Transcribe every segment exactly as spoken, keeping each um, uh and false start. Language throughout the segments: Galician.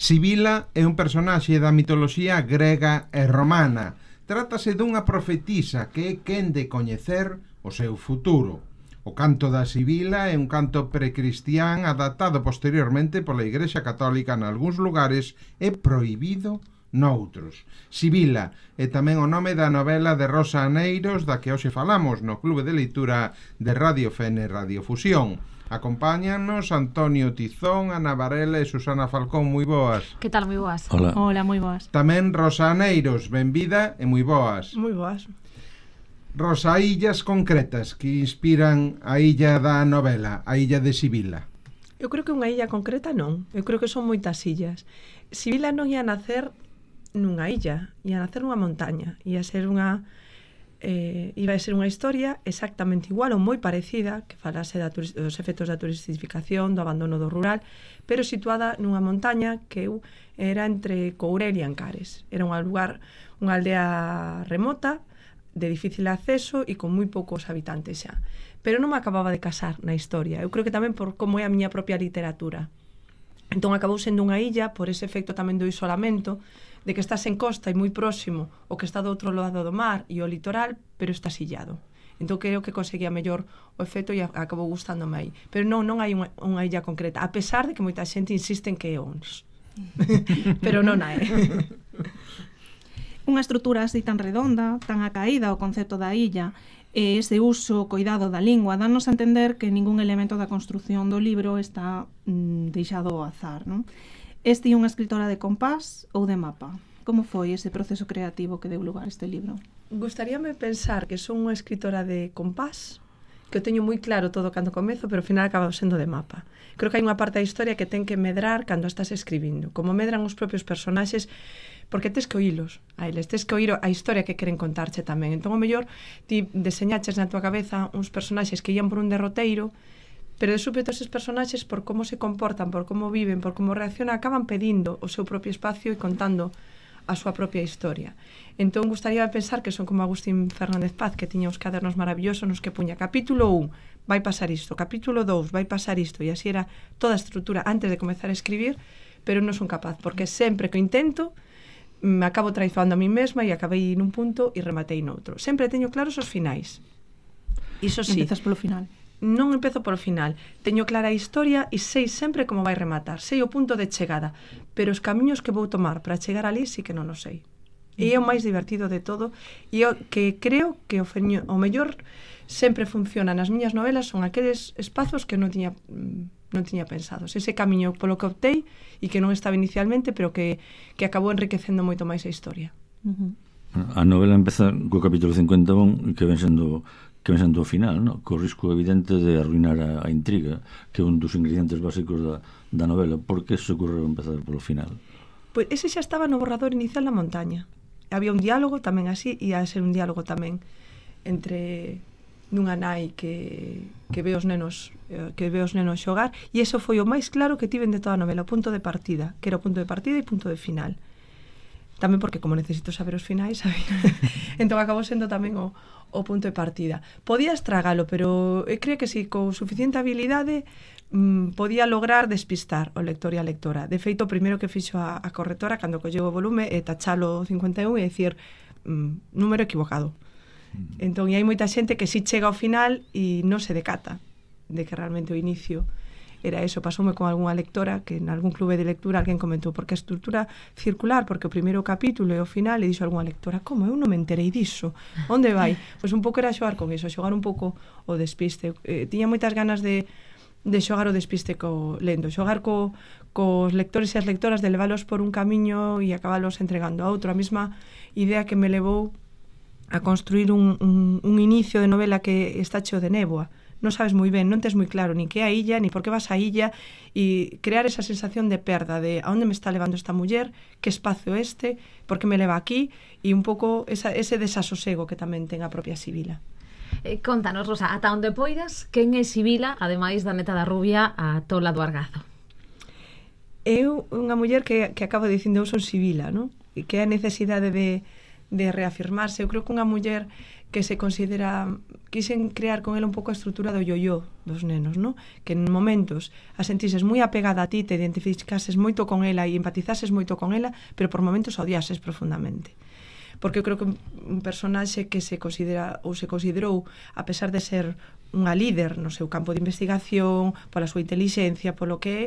Sibila é un personaxe da mitoloxía grega e romana. Trátase dunha profetisa que é quen de coñecer o seu futuro. O canto da Sibila é un canto precristián adaptado posteriormente pola Igrexa Católica nalgúns lugares e prohibido noutros. Sibila é tamén o nome da novela de Rosa Aneiros da que hoxe falamos no Clube de Leitura de Radio Fene Radiofusión. Acompáñanos Antonio Tizón, Ana Varela e Susana Falcón. Moi boas. Que tal, moi boas? Hola. Hola, moi boas. Tamén Rosa Aneiros, benvida e moi boas. Moi boas. Rosa, illas concretas que inspiran a illa da novela, a illa de Sibila. Eu creo que unha illa concreta non. Eu creo que son moitas illas. Sibila non ia nacer nunha illa, ia nacer nunha montaña. Ia ser unha... Eh, iba a ser unha historia exactamente igual ou moi parecida, que falase da turis, dos efectos da turistificación, do abandono do rural, pero situada nunha montaña que eu era entre Courel e Ancares. Era un lugar, unha aldea remota, de difícil acceso e con moi poucos habitantes xa. Pero non me acababa de casar na historia. Eu creo que tamén por como é a miña propia literatura. Entón acabou sendo unha illa por ese efecto tamén do isolamento, de que estás en costa e moi próximo o que está do outro lado do mar e o litoral, pero estás illado. Entón creo que conseguía mellor o efecto e acabou gustándome aí. Pero non, non hai unha, unha illa concreta, a pesar de que moita xente insiste en que é Ons. Pero non hai. Unha estrutura así tan redonda, tan acaída o concepto da illa, e ese uso, coidado da lingua, danos a entender que ningún elemento da construción do libro está mm, deixado ao azar, non? Este é unha escritora de compás ou de mapa? Como foi ese proceso creativo que deu lugar a este libro? Gustaríame pensar que son unha escritora de compás, que o teño moi claro todo cando comezo, pero ao final acaba sendo de mapa. Creo que hai unha parte da historia que ten que medrar cando estás escribindo, como medran os propios personaxes, porque tes que oílos a eles, tes que oír a historia que queren contarche tamén. Entón, o mellor, ti deseñaches na tua cabeza uns personaxes que ian por un derroteiro, pero de súpeto eses personaxes, por como se comportan, por como viven, por como reaccionan, acaban pedindo o seu propio espacio e contando a súa propia historia. Entón, gustaría pensar que son como Agustín Fernández Paz, que tiña uns cadernos maravillosos nos que puña capítulo un, vai pasar isto, capítulo dous, vai pasar isto, e así era toda a estrutura antes de comezar a escribir, pero non son capaz, porque sempre que o intento, me acabo traizoando a mí mesma e acabei nun punto e rematei noutro. Sempre teño claros os finais. Iso sí. Empezas polo final. Non empezo polo final. Teño clara a historia e sei sempre como vai rematar. Sei o punto de chegada, pero os camiños que vou tomar para chegar ali sí que non o sei. E é o máis divertido de todo e o que creo que o, feño, o mellor sempre funciona nas miñas novelas son aqueles espazos que non tiña non tiña pensados. Ese camiño polo que optei e que non estaba inicialmente, pero que, que acabou enriquecendo moito máis a historia. Uh-huh. A novela empeza co capítulo cincuenta e un que ven sendo que ven sendo o final, no? Co risco evidente de arruinar a, a intriga, que é un dos ingredientes básicos da, da novela. Por que se ocorreu empezar polo final? Pois ese xa estaba no borrador inicial da montaña. Había un diálogo tamén así, e ia ser un diálogo tamén entre nunha nai que, que ve os nenos que ve os nenos xogar, e iso foi o máis claro que tiven de toda a novela, o punto de partida, que era o punto de partida e punto de final. Tamén porque como necesito saber os finais, sabía? Entón acabou sendo tamén o, o punto de partida. Podía estragalo, pero eu creo que si con suficiente habilidade mmm, podía lograr despistar o lector e a lectora. De feito, o primeiro que fixo a, a correctora cando colleu o volume é tachalo cincuenta e un e dicir mmm, número equivocado. Entón, e hai moita xente que si chega ao final e non se decata de que realmente o inicio era eso. Pasoume con algunha lectora que en algún clube de lectura alguén comentou porque a estrutura circular, porque o primeiro capítulo e o final, e dixo algunha lectora, como eu non me enterei diso, onde vai? Pois un pouco era xogar con iso, xogar un pouco o despiste. Eh, tiña moitas ganas de, de xogar o despiste co lendo, xogar co, cos lectores e as lectoras, de leválos por un camiño e acabalos entregando a outro. A mesma idea que me levou a construir un, un, un inicio de novela que está cheo de néboa. Non sabes moi ben, non tes moi claro ni que é a illa, ni por que vas a illa, e crear esa sensación de perda, de a onde me está levando esta muller, que espacio este, por que me leva aquí, e un pouco esa, ese desasosego que tamén ten a propia Sibila. Eh, contanos, Rosa, ata onde poidas, quen é Sibila, ademais da neta da rubia, a tola do Argazo? Eu, unha muller que, que acabo dicindo, eu son Sibila, non? E que é a necesidade de de reafirmarse. Eu creo que unha muller que se considera, quixen crear con ela un pouco a estrutura do yo-yo dos nenos, ¿no? Que en momentos a sentises moi apegada a ti, te identificases moito con ela e empatizases moito con ela, pero por momentos odiases profundamente. Porque eu creo que un personaxe que se considera ou se considerou, a pesar de ser unha líder no seu campo de investigación, pola súa inteligencia, polo que é,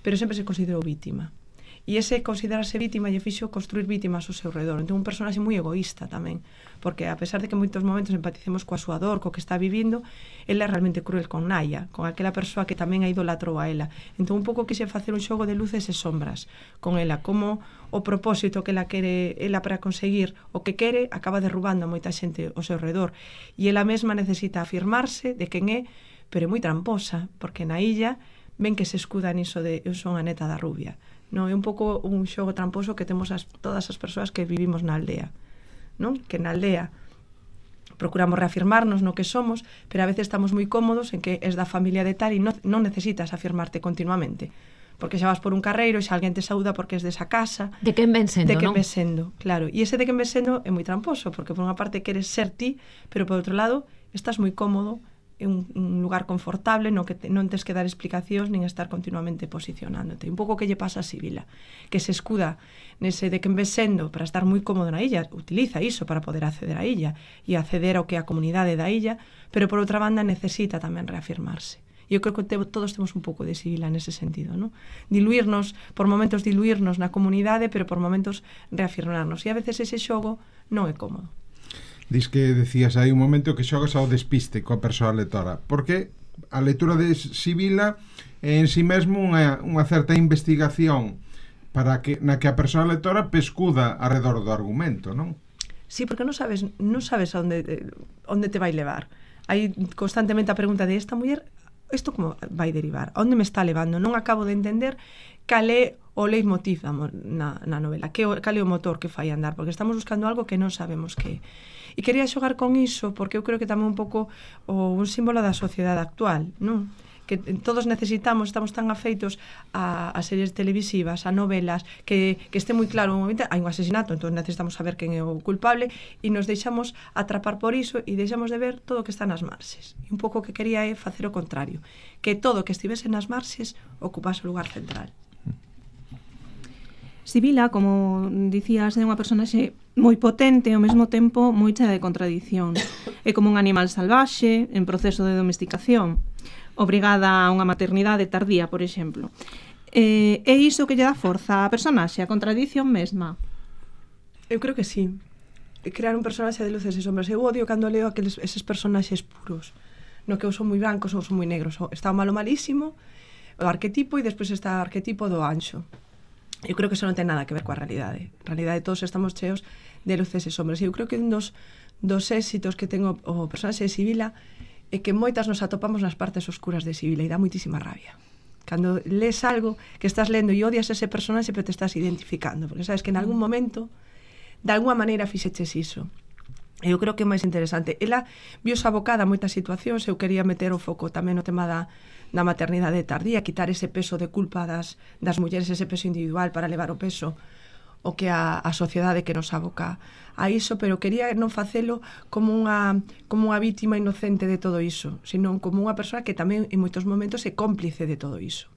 pero sempre se considerou vítima. E ese considerarse vítima lle fixo construir vítimas ao seu redor. Entón, un personaxe moi egoísta tamén, porque a pesar de que en moitos momentos empaticemos coa súa dor, co que está vivindo, ela é realmente cruel con Naya, con aquela persoa que tamén a idolatrou a ela. Entón, un pouco quixen facer un xogo de luces e sombras con ela, como o propósito que ela quere, ela para conseguir o que quere, acaba derrubando a moita xente ao seu redor. E ela mesma necesita afirmarse de quen é, pero é moi tramposa, porque na illa ven que se escuda niso de eu son a neta da rubia. Non, é un pouco un xogo tramposo que temos as, todas as persoas que vivimos na aldea, non? Que na aldea procuramos reafirmarnos no que somos, pero a veces estamos moi cómodos en que es da familia de tal e non, non necesitas afirmarte continuamente, porque xa vas por un carreiro e xa alguén te saúda porque es desa casa. De quen ven sendo, de quen non? ven sendo, claro. E ese de quen ven sendo é moi tramposo, porque por unha parte queres ser ti, pero por outro lado estás moi cómodo é un, un lugar confortable no que te, non tes que dar explicacións nin estar continuamente posicionándote. Un pouco que lle pasa a Sibila, que se escuda nese de quen ves sendo para estar moi cómodo na illa, utiliza iso para poder acceder á illa e acceder ao que é a comunidade da illa, pero por outra banda necesita tamén reafirmarse. E eu creo que te, todos temos un pouco de Sibila nese sentido, ¿no? Diluirnos, por momentos diluirnos na comunidade, pero por momentos reafirmarnos. E a veces ese xogo non é cómodo. Dis que decías aí un momento que xogas ao despiste coa persoa lectora, porque a lectura de Sibila é en si mesmo unha, unha certa investigación para que na que a persoa lectora pescuda arredor do argumento, non? Sí, porque non sabes non sabes a onde, onde te vai levar. Hai constantemente a pregunta de esta muller, isto como vai derivar? A onde me está levando? Non acabo de entender cal é o leitmotiv na, na novela, que, cal é o motor que fai andar, porque estamos buscando algo que non sabemos que é. E quería xogar con iso porque eu creo que tamén un pouco o, un símbolo da sociedade actual, non? Que todos necesitamos, estamos tan afeitos a, a series televisivas, a novelas, que, que este moi claro un momento, hai un asesinato, entón necesitamos saber quen é o culpable e nos deixamos atrapar por iso e deixamos de ver todo o que está nas marxes. E un pouco que quería é facer o contrario, que todo o que estivese nas marxes ocupase o lugar central. Sibila, como dicías, é unha personaxe moi potente e ao mesmo tempo moi chea de contradicións. É como un animal salvaxe en proceso de domesticación, obrigada a unha maternidade tardía, por exemplo. Eh, é iso que lle dá forza á personaxe, a contradición mesma? Eu creo que sí. Crear un personaxe de luces e sombras. Eu odio cando leo aqueles, eses personaxes puros, no que ou son moi brancos ou son moi negros. Está o malo malísimo, o arquetipo, e despois está o arquetipo do anxo. Eu creo que eso non ten nada que ver coa realidade. En realidade todos estamos cheos de luces e sombras. E eu creo que un dos, dos éxitos que tengo o personaxe de Sibila é que moitas nos atopamos nas partes oscuras de Sibila e dá moitísima rabia. Cando lees algo que estás lendo e odias ese personaxe pero te estás identificando, porque sabes que en algún momento de alguma maneira fixeches iso. Eu creo que é máis interesante. Ela viose abocada a moitas situacións. Eu quería meter o foco tamén no tema da da maternidade tardía, quitar ese peso de culpa das, das mulleres, ese peso individual para levar o peso o que a, a sociedade que nos aboca a iso, pero quería non facelo como unha, como unha vítima inocente de todo iso, sino como unha persoa que tamén en moitos momentos é cómplice de todo iso.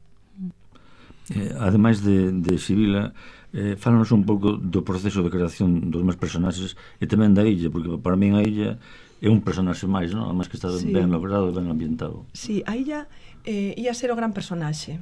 Eh, ademais de, de Sibila, eh, fálanos un pouco do proceso de creación dos máis personaxes e tamén da illa, porque para min a illa é un personaxe máis, non? Ademais que está sí. ben logrado, ben ambientado. Sí, a illa eh, ia ser o gran personaxe,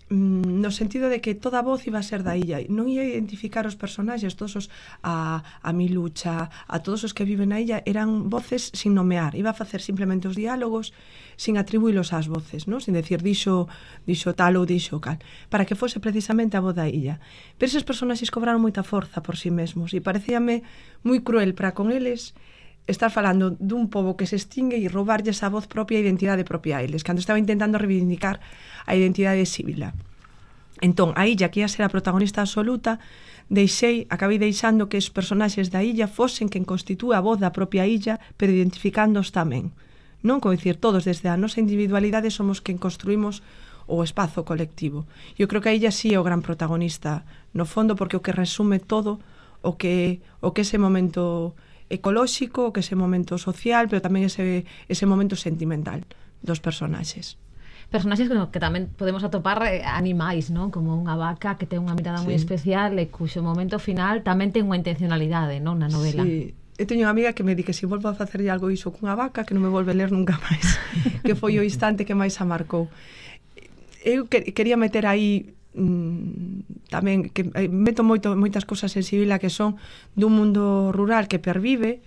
mm, no sentido de que toda a voz iba a ser da illa, non ia identificar os personaxes, todos os a, a Milucha, a todos os que viven na illa, eran voces sin nomear, iba a facer simplemente os diálogos sin atribuílos ás voces, non? Sin decir dixo, dixo tal ou dixo cal, para que fose precisamente a voz da illa. Pero eses personaxes cobraron moita forza por si mesmos e parecíame moi cruel para con eles estar falando dun pobo que se extingue e roubarlles a voz propia e a identidade propia a eles, cando estaba intentando reivindicar a identidade de Sibila. Entón, a illa, que ia ser a protagonista absoluta, deixei, acabei deixando que os personaxes da illa fosen quen constitúe a voz da propia illa, pero identificándoos tamén. Non, como dicir, todos desde a nosa individualidade somos quen construímos o espazo colectivo. Eu creo que a illa sí é o gran protagonista, no fondo, porque o que resume todo o que, o que ese momento ecolóxico, o que ese momento social, pero tamén ese, ese momento sentimental dos personaxes. Personaxes que, que tamén podemos atopar eh, animais, non? Como unha vaca que ten unha mirada sí. moi especial e cuxo momento final tamén ten unha intencionalidade, non? Na novela. Sí. Eu teño unha amiga que me di que se volvo a facer algo iso cunha vaca que non me volve a ler nunca máis. Que foi o instante que máis a marcou. Eu que, quería meter aí mmm, tamén que eh, meto moito, moitas cousas en Sibila que son dun mundo rural que pervive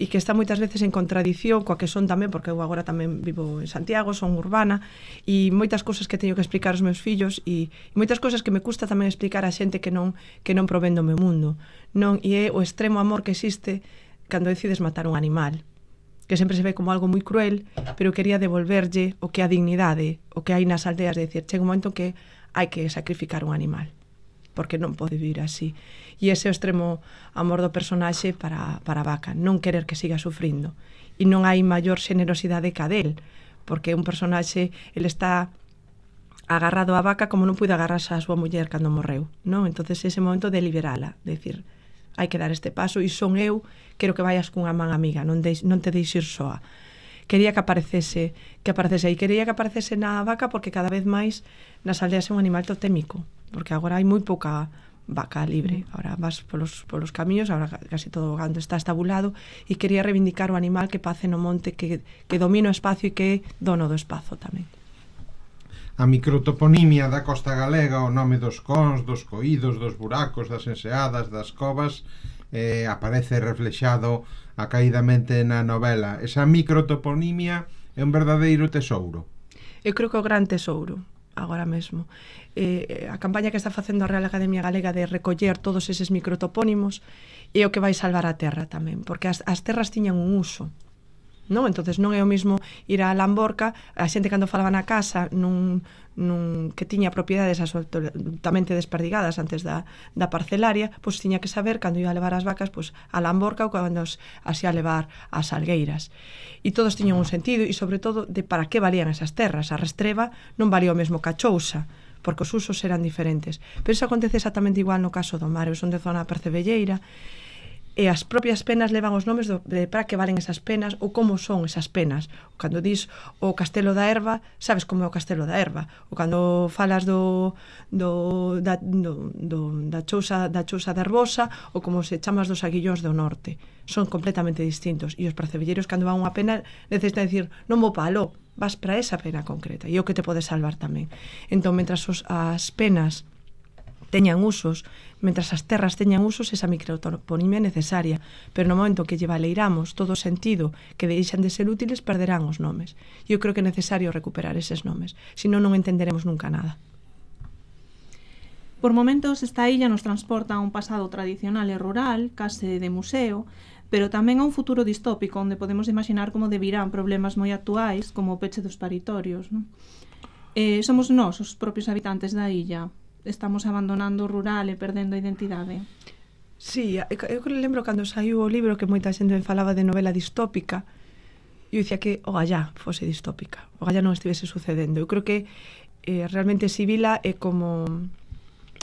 e que está moitas veces en contradición coa que son tamén, porque eu agora tamén vivo en Santiago, son urbana, e moitas cousas que teño que explicar aos meus fillos e, e moitas cousas que me custa tamén explicar a xente que non que non provén do meu mundo. Non, e é o extremo amor que existe cando decides matar un animal, que sempre se ve como algo moi cruel, pero quería devolverlle o que a dignidade, o que hai nas aldeas, de decir, chega un momento que hai que sacrificar un animal, porque non pode vivir así. E ese é o extremo amor do personaxe para, para a vaca, non querer que siga sufrindo. E non hai maior xenerosidade ca del, porque un personaxe, ele está agarrado á vaca como non puide agarrarse a súa muller cando morreu, non? Entonces ese momento de liberala, de decir, hai que dar este paso e son eu, quero que vayas cunha man amiga, non, deix, non te deixes soa. Quería que aparecese, que aparecese e quería que aparecese na vaca porque cada vez máis nas aldeas é un animal totémico, porque agora hai moi pouca vaca libre, agora vas polos, polos camiños, agora casi todo o gando está estabulado e quería reivindicar o animal que pace no monte, que, que domina o espacio e que é dono do espazo tamén. A microtoponimia da costa galega, o nome dos cons, dos coídos, dos buracos, das enseadas, das covas, eh, aparece reflexado acaidamente na novela. Esa microtoponimia é un verdadeiro tesouro. Eu creo que o gran tesouro agora mesmo. Eh, a campaña que está facendo a Real Academia Galega de recoller todos eses microtopónimos é o que vai salvar a terra tamén, porque as, as terras tiñan un uso, non? Entonces non é o mismo ir a Lamborca, a xente cando falaba na casa nun, nun, que tiña propiedades absolutamente desperdigadas antes da, da parcelaria, pois tiña que saber cando ia a levar as vacas pois, a Lamborca ou cando as, as ia a levar ás Salgueiras. E todos tiñan un sentido e sobre todo de para que valían esas terras. A Restreva non valía o mesmo que a Chousa, porque os usos eran diferentes. Pero iso acontece exactamente igual no caso do mar. Eu son de zona percebelleira e as propias penas levan os nomes do, de para que valen esas penas ou como son esas penas. Cando dis o Castelo da Erva, sabes como é o Castelo da Erva. Ou cando falas do, do, da, do, do, da, chousa, da chousa de Herbosa ou como se chamas dos Aguillóns do Norte. Son completamente distintos. E os percebelleiros cando van unha pena necesitan decir non vou palo, vas para esa pena concreta. E o que te pode salvar tamén. Entón, mentras os, as penas teñan usos, mentras as terras teñan usos, esa microtoponimia é necesaria, pero no momento que lle valeiramos todo o sentido que deixan de ser útiles, perderán os nomes. E eu creo que é necesario recuperar eses nomes, senón non entenderemos nunca nada. Por momentos esta illa nos transporta a un pasado tradicional e rural, case de museo, pero tamén a un futuro distópico onde podemos imaginar como devirán problemas moi actuais como o peche dos paritorios, non? Eh, somos nós, os propios habitantes da illa. Estamos abandonando o rural e perdendo a identidade. Sí, eu lembro cando saiu o libro que moita xente falaba de novela distópica, eu dicía que o gallá fose distópica, o gallá non estivese sucedendo. Eu creo que eh, realmente Sibila é como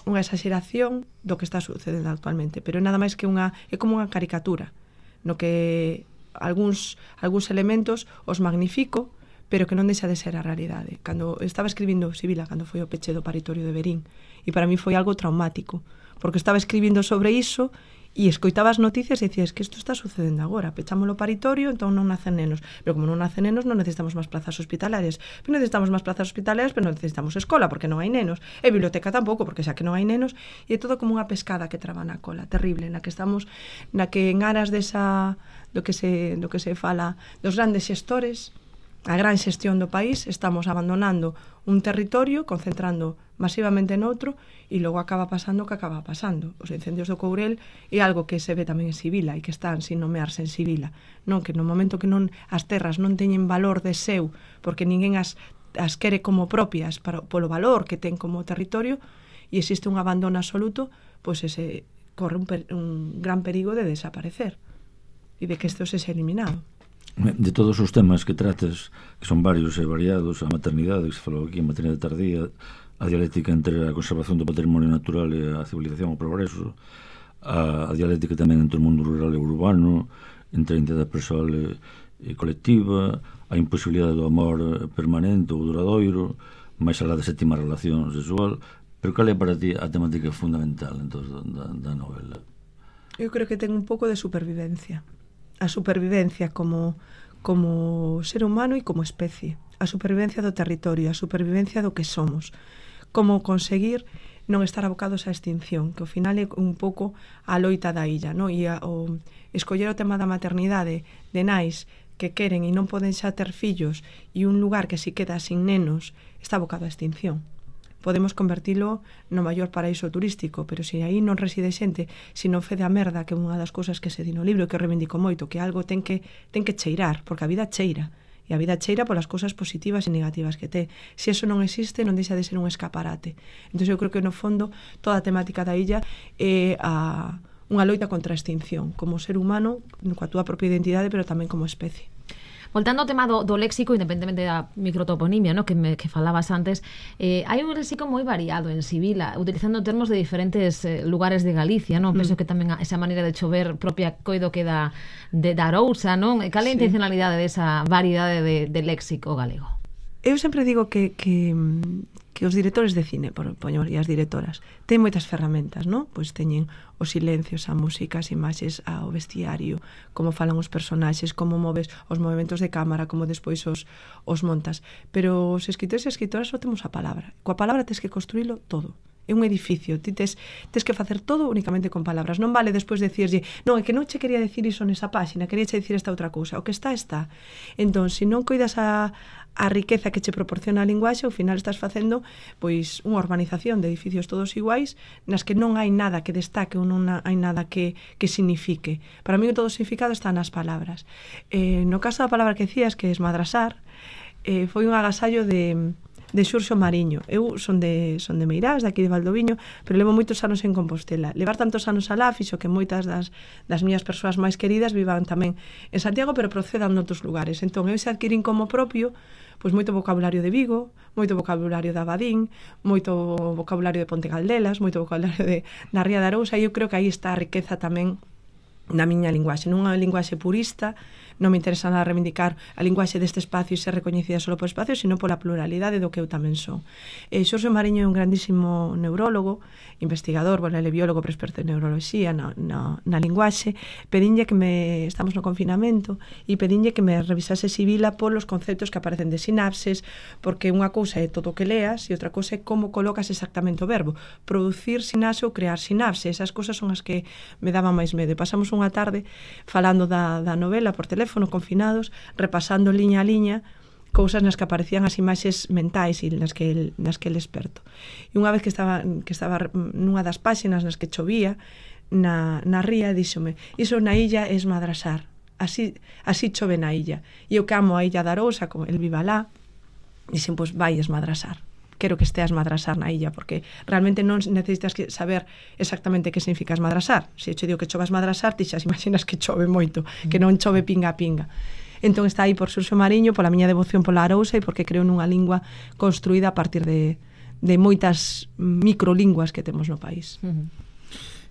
unha exageración do que está sucedendo actualmente, pero é nada máis que unha é como unha caricatura, no que algúns algúns elementos os magnifico, pero que non deixa de ser a realidade. Cando estaba escribindo Sibila, cando foi o peche do paritorio de Verín, e para mí foi algo traumático, porque estaba escribindo sobre iso e escoitaba as noticias e dicías que isto está sucedendo agora, pechámolo paritorio, entón non nacen nenos, pero como non nacen nenos non necesitamos máis plazas hospitalarias, pero necesitamos máis plazas hospitalarias, pero non necesitamos escola porque non hai nenos, e biblioteca tampouco porque xa que non hai nenos, e é todo como unha pescada que traba na cola, terrible, na que estamos, na que en aras desa do que se do que se fala dos grandes xestores, a gran xestión do país, estamos abandonando un territorio, concentrando masivamente noutro, e logo acaba pasando o que acaba pasando. Os incendios do Courel é algo que se ve tamén en Sibila e que están sin nomearse en Sibila. Non, que no momento que non as terras non teñen valor de seu, porque ninguén as, as quere como propias para, polo valor que ten como territorio, e existe un abandono absoluto, pois ese corre un, per, un gran perigo de desaparecer e de que isto se sea eliminado. De todos os temas que trates, que son varios e variados, a maternidade, que se falou aquí, a maternidade tardía, a dialéctica entre a conservación do patrimonio natural e a civilización, o progreso, a, a dialéctica tamén entre o mundo rural e urbano, entre a identidade persoal e, e colectiva, a imposibilidade do amor permanente ou duradoiro, máis alá da sétima relación sexual. Pero cal é para ti a temática fundamental entón, da, da novela? Eu creo que ten un pouco de supervivencia. A supervivencia como, como ser humano e como especie. A supervivencia do territorio, a supervivencia do que somos. Como conseguir non estar abocados á extinción, que ao final é un pouco a loita da illa, no? E a, o escoller o tema da maternidade de nais que queren e non poden xa ter fillos e un lugar que si queda sin nenos está abocado á extinción. Podemos convertilo no maior paraíso turístico, pero se aí non reside xente, se non fede a merda, que é unha das cousas que se di no libro, que reivindico moito, que algo ten que, ten que cheirar, porque a vida cheira. E a vida cheira polas cousas positivas e negativas que ten. Se eso non existe, non deixa de ser un escaparate. Entón eu creo que no fondo toda a temática da illa é a, unha loita contra a extinción, como ser humano, coa túa propia identidade, pero tamén como especie. Voltando ao tema do, do léxico, independentemente da microtoponimia, no, que, me, que falabas antes, eh, hai un léxico moi variado en Sibila, utilizando termos de diferentes eh, lugares de Galicia, non? Mm. Penso que tamén esa maneira de chover propia coido que da, de, da Arousa, non? Cal é a intencionalidade desa variedade de, de léxico galego? Eu sempre digo que, que, que os directores de cine, por poñer, e as directoras, ten moitas ferramentas, non? Pois teñen os silencios, a música, as imaxes, ao vestiario, como falan os personaxes, como moves os movimentos de cámara, como despois os, os montas. Pero os escritores e escritoras só temos a palabra. Coa palabra tens que construílo todo. É un edificio, ti tes, tes que facer todo únicamente con palabras. Non vale despois decirlle, non, é que non che quería decir iso nesa páxina, quería che dicir esta outra cousa. O que está, está. Entón, se non coidas a, a riqueza que che proporciona a linguaxe, ao final estás facendo pois unha urbanización de edificios todos iguais, nas que non hai nada que destaque ou non hai nada que, que signifique. Para mí todo o significado está nas palabras. Eh, no caso da palabra que decías, que é esmadrasar, eh, foi un agasallo de... de Xurxo Mariño. Eu son de, son de Meirás, de aquí de Valdoviño, pero levo moitos anos en Compostela. Levar tantos anos alá fixo que moitas das, das miñas persoas máis queridas vivan tamén en Santiago, pero procedan noutros lugares. Entón, eu se adquirín como propio pois moito vocabulario de Vigo, moito vocabulario de Abadín, moito vocabulario de Ponte Caldelas, moito vocabulario de na Ría de Arousa, e eu creo que aí está a riqueza tamén na miña linguaxe, non unha linguaxe purista. Non me interesa nada reivindicar a linguaxe deste espacio e ser recoñecida só por espacio, sino pola pluralidade do que eu tamén son. Eh, Xurxo Mariño é un grandísimo neurólogo, investigador, bueno, ele é biólogo, pero experto en neuroloxía, na, na, na linguaxe. Pedinlle que me, estamos no confinamento, e pedinlle que me revisase Sibila polos conceptos que aparecen de sinapses, porque unha cousa é todo o que leas e outra cousa é como colocas exactamente o verbo. Producir sinapse ou crear sinapse, esas cousas son as que me daban máis medo. E pasamos unha tarde falando da, da novela por teléfono, confinados, repasando liña a liña cousas nas que aparecían as imaxes mentais e nas que el, nas que el experto. E unha vez que estaba, que estaba nunha das páxinas nas que chovía na, na ría, díxome, iso na illa é esmadrasar, así, así chove na illa. E eu que amo a illa da Arousa, como el viva lá, dixen, pois vai esmadrasar. Quero que esteas madrasar na illa, porque realmente non necesitas que saber exactamente que significa esmadrasar. Se eu che digo que chove esmadrasar, ti xa imaginas que chove moito, que non chove pinga a pinga. Entón está aí por Xurxo Mariño, pola miña devoción pola Arousa e porque creo nunha lingua construída a partir de, de moitas microlinguas que temos no país. Uh-huh.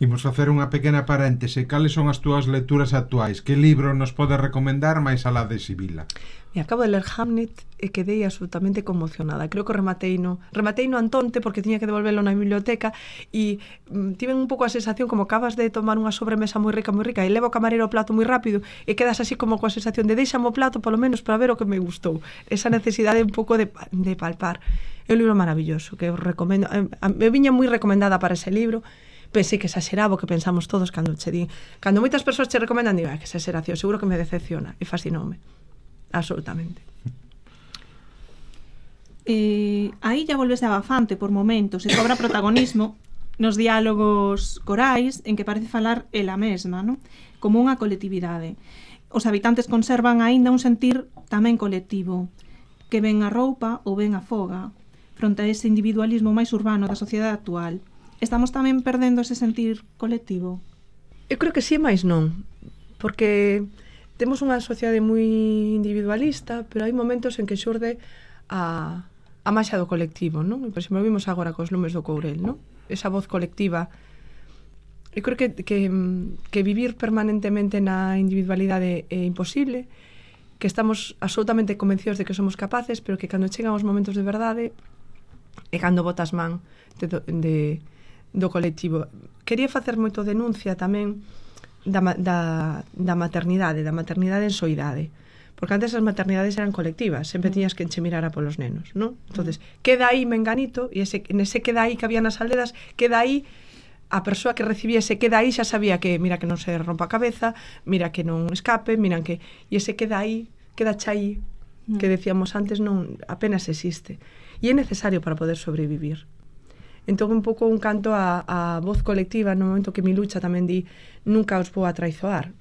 Imos facer unha pequena paréntese. Cales son as túas lecturas actuais? Que libro nos podes recomendar máis alá de Sibila? Me acabo de ler Hamlet e quedei absolutamente conmocionada. Creo que rematei no, rematei no Antonte porque tiña que devolverlo na biblioteca e mm, tiven un pouco a sensación como acabas de tomar unha sobremesa moi rica, moi rica e leva o camarero o plato moi rápido e quedas así como coa sensación de deixame o plato polo menos para ver o que me gustou. Esa necesidade un pouco de, de palpar. É un libro maravilloso que eu recomendo. Eu viña moi recomendada para ese libro. Pensei que exageraba o que pensamos todos cando che di. Cando moitas persoas che recomendan, digo, ah, que exageración, seguro que me decepciona. E fascinoume. Absolutamente. Eh, aí ya volvese abafante por momentos e cobra protagonismo nos diálogos corais en que parece falar ela mesma, non? Como unha colectividade. Os habitantes conservan aínda un sentir tamén colectivo, que ven a roupa ou ven a foga, fronte a ese individualismo máis urbano da sociedade actual. Estamos tamén perdendo ese sentir colectivo? Eu creo que sí, máis non, porque temos unha sociedade moi individualista, pero hai momentos en que xurde a, a maxa do colectivo, non? E, por exemplo, vimos agora cos lumes do Courel, non? Esa voz colectiva eu creo que, que, que vivir permanentemente na individualidade é imposible, que estamos absolutamente convencidos de que somos capaces, pero que cando chegan os momentos de verdade e cando botas man de, de, do colectivo. Quería facer moito denuncia tamén da, da, da maternidade, da maternidade en soidade, porque antes as maternidades eran colectivas, sempre tiñas que enchemirar a polos nenos, non? Entonces, queda aí menganito, e ese, nese queda aí que había nas aldeas, queda aí a persoa que recibía ese queda aí xa sabía que mira que non se rompa a cabeza, mira que non escape, mira que... E ese queda aí, queda chai, que decíamos antes, non apenas existe. E é necesario para poder sobrevivir. Entón, un pouco un canto a, a voz colectiva, no momento que mi lucha tamén di nunca os vou a traizoar.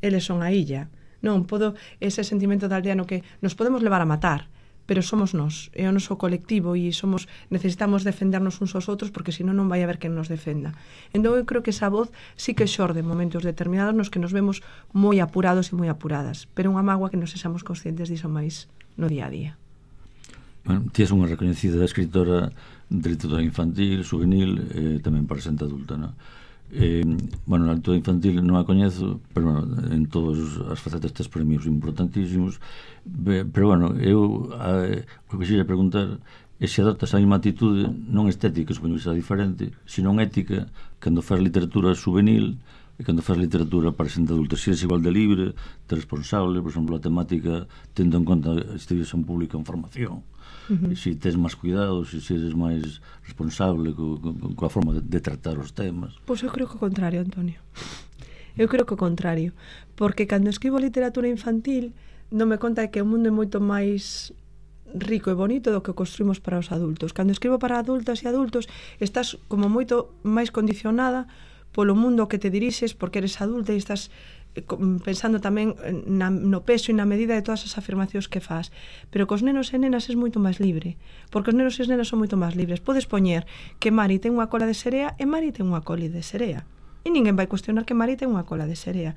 Eles son a illa. Non, podo ese sentimento de aldea no que nos podemos levar a matar, pero somos nós, é o noso colectivo e somos necesitamos defendernos uns aos outros porque senón non vai haber quen nos defenda. Entón, eu creo que esa voz sí que xorde en momentos determinados nos que nos vemos moi apurados e moi apuradas, pero unha mágoa que nos sexamos conscientes diso máis no día a día. Bueno, ti és unha recoñecida escritora de literatura infantil, juvenil e eh, tamén para xente adulta, non? Eh, bueno, na literatura infantil non a coñezo, pero bueno, en todas as facetas tes premios importantísimos. Be, pero bueno, eu a, o que quixera preguntar é se adoptas a mesma atitude non estética, supoño que será diferente, sino ética, cando faz literatura juvenil e cando faz literatura para xente adulta, se és igual de libre, de responsable, por exemplo, a temática tendo en conta este un público en formación. Uh-huh. Se tes máis cuidado, se eres máis responsable co, co, coa forma de, de tratar os temas. Pois eu creo que o contrario, Antonio. Eu creo que o contrario, porque cando escribo literatura infantil non me conta que o mundo é moito máis rico e bonito do que construímos para os adultos. Cando escribo para adultas e adultos estás como moito máis condicionada polo mundo que te dirixes porque eres adulta e estás pensando tamén na, no peso e na medida de todas as afirmacións que faz. Pero cos nenos e nenas é moito máis libre, porque os nenos e as nenas son moito máis libres. Podes poñer que Mari ten unha cola de serea e Mari ten unha cola de serea, e ninguén vai cuestionar que Mari ten unha cola de serea.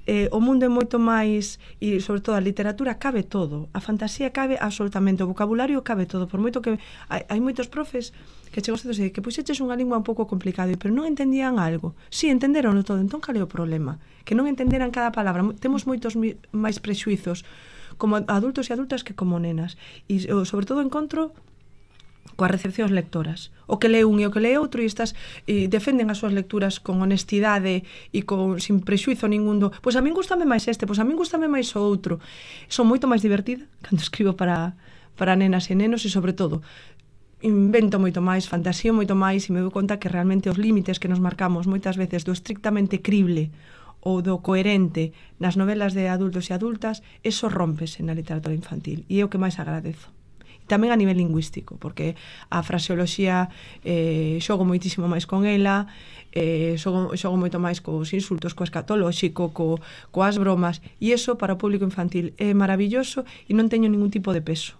Eh, o mundo é moito máis, e sobre todo a literatura cabe todo, a fantasía cabe absolutamente, o vocabulario cabe todo, por moito que hai, hai moitos profes que chegou a ser que puxeches unha lingua un pouco complicada, pero non entendían algo. Si, sí, entenderonlo todo, entón cal é o problema? Que non entenderan cada palabra. Temos moitos mi, máis prexuizos como adultos e adultas que como nenas, e sobre todo encontro coas recepcións lectoras. O que lee un e o que lee outro e estas e defenden as súas lecturas con honestidade e con sin prexuizo ningún do, pois a min gustame máis este, pois a min gustame máis o outro. Son moito máis divertida cando escribo para para nenas e nenos e sobre todo invento moito máis, fantasío moito máis e me dou conta que realmente os límites que nos marcamos moitas veces do estrictamente crible ou do coherente nas novelas de adultos e adultas, eso rompese na literatura infantil e é o que máis agradezo. Tamén a nivel lingüístico, porque a fraseoloxía eh, xogo moitísimo máis con ela, eh, xogo, xogo moito máis cos insultos, co escatolóxico, co, coas bromas, e iso para o público infantil é maravilloso e non teño ningún tipo de peso.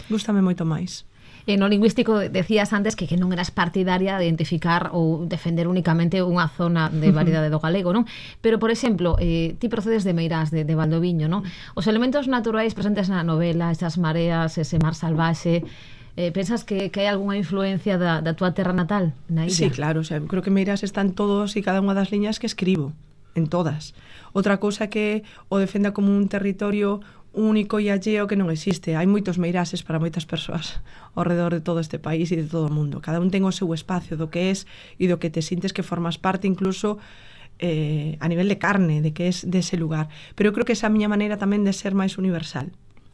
Gústame moito máis. E no lingüístico decías antes que, que non eras partidaria de identificar ou defender únicamente unha zona de variedade do galego, non? Pero, por exemplo, eh, ti procedes de Meirás, de, de Valdoviño, non? Os elementos naturais presentes na novela, esas mareas, ese mar salvaxe, eh, pensas que, que hai algunha influencia da, da tua terra natal na illa? Sí, claro, o sea, creo que Meirás están todos e cada unha das liñas que escribo, en todas. Outra cousa que o defenda como un territorio único e alleo que non existe. Hai moitos meirases para moitas persoas ao redor de todo este país e de todo o mundo. Cada un ten o seu espacio do que es e do que te sintes que formas parte incluso eh, a nivel de carne, de que es dese lugar. Pero eu creo que esa é a miña maneira tamén de ser máis universal,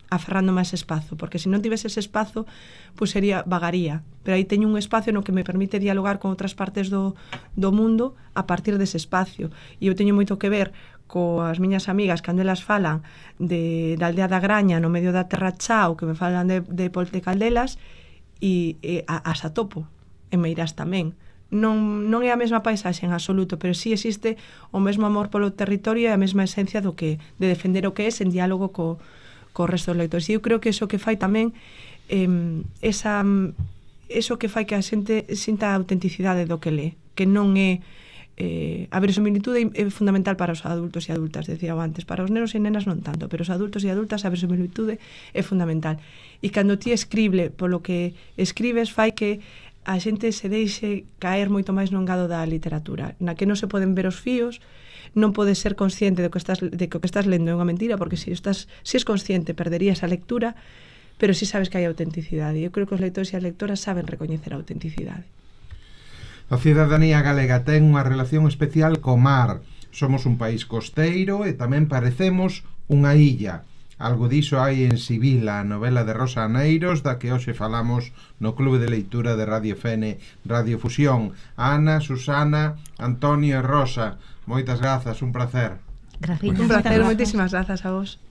aferrando máis espazo, porque se non tivese ese espazo, pois sería vagaría. Pero aí teño un espacio no que me permite dialogar con outras partes do, do mundo a partir dese espacio. E eu teño moito que ver coas miñas amigas cando elas falan de, da aldea da Graña no medio da Terra Chao, que me falan de, de Polte Caldelas e, e a, as atopo en Meirás tamén. Non, non é a mesma paisaxe en absoluto, pero sí existe o mesmo amor polo territorio e a mesma esencia do que de defender o que é en diálogo co, co resto dos lectores. E eu creo que eso que fai tamén eh, esa, eso que fai que a xente sinta a autenticidade do que lee, que non é Eh, a verosimilitude é fundamental para os adultos e adultas, decía antes, para os nenos e nenas non tanto, pero os adultos e adultas a verosimilitude é fundamental. E cando ti escribe polo que escribes fai que a xente se deixe caer moito máis no engado da literatura, na que non se poden ver os fíos, non podes ser consciente de que estás, de que o que estás lendo é unha mentira, porque se estás, se es consciente perderías a lectura, pero si sabes que hai autenticidade. Eu creo que os lectores e as lectoras saben recoñecer a autenticidade. A cidadanía galega ten unha relación especial co mar. Somos un país costeiro e tamén parecemos unha illa. Algo diso hai en Sibila, a novela de Rosa Aneiros, da que hoxe falamos no Clube de Leitura de Radio Fene, Radio Fusión. Ana, Susana, Antonio e Rosa, moitas grazas, un placer. Gracias. Un placer, moitísimas grazas a vos.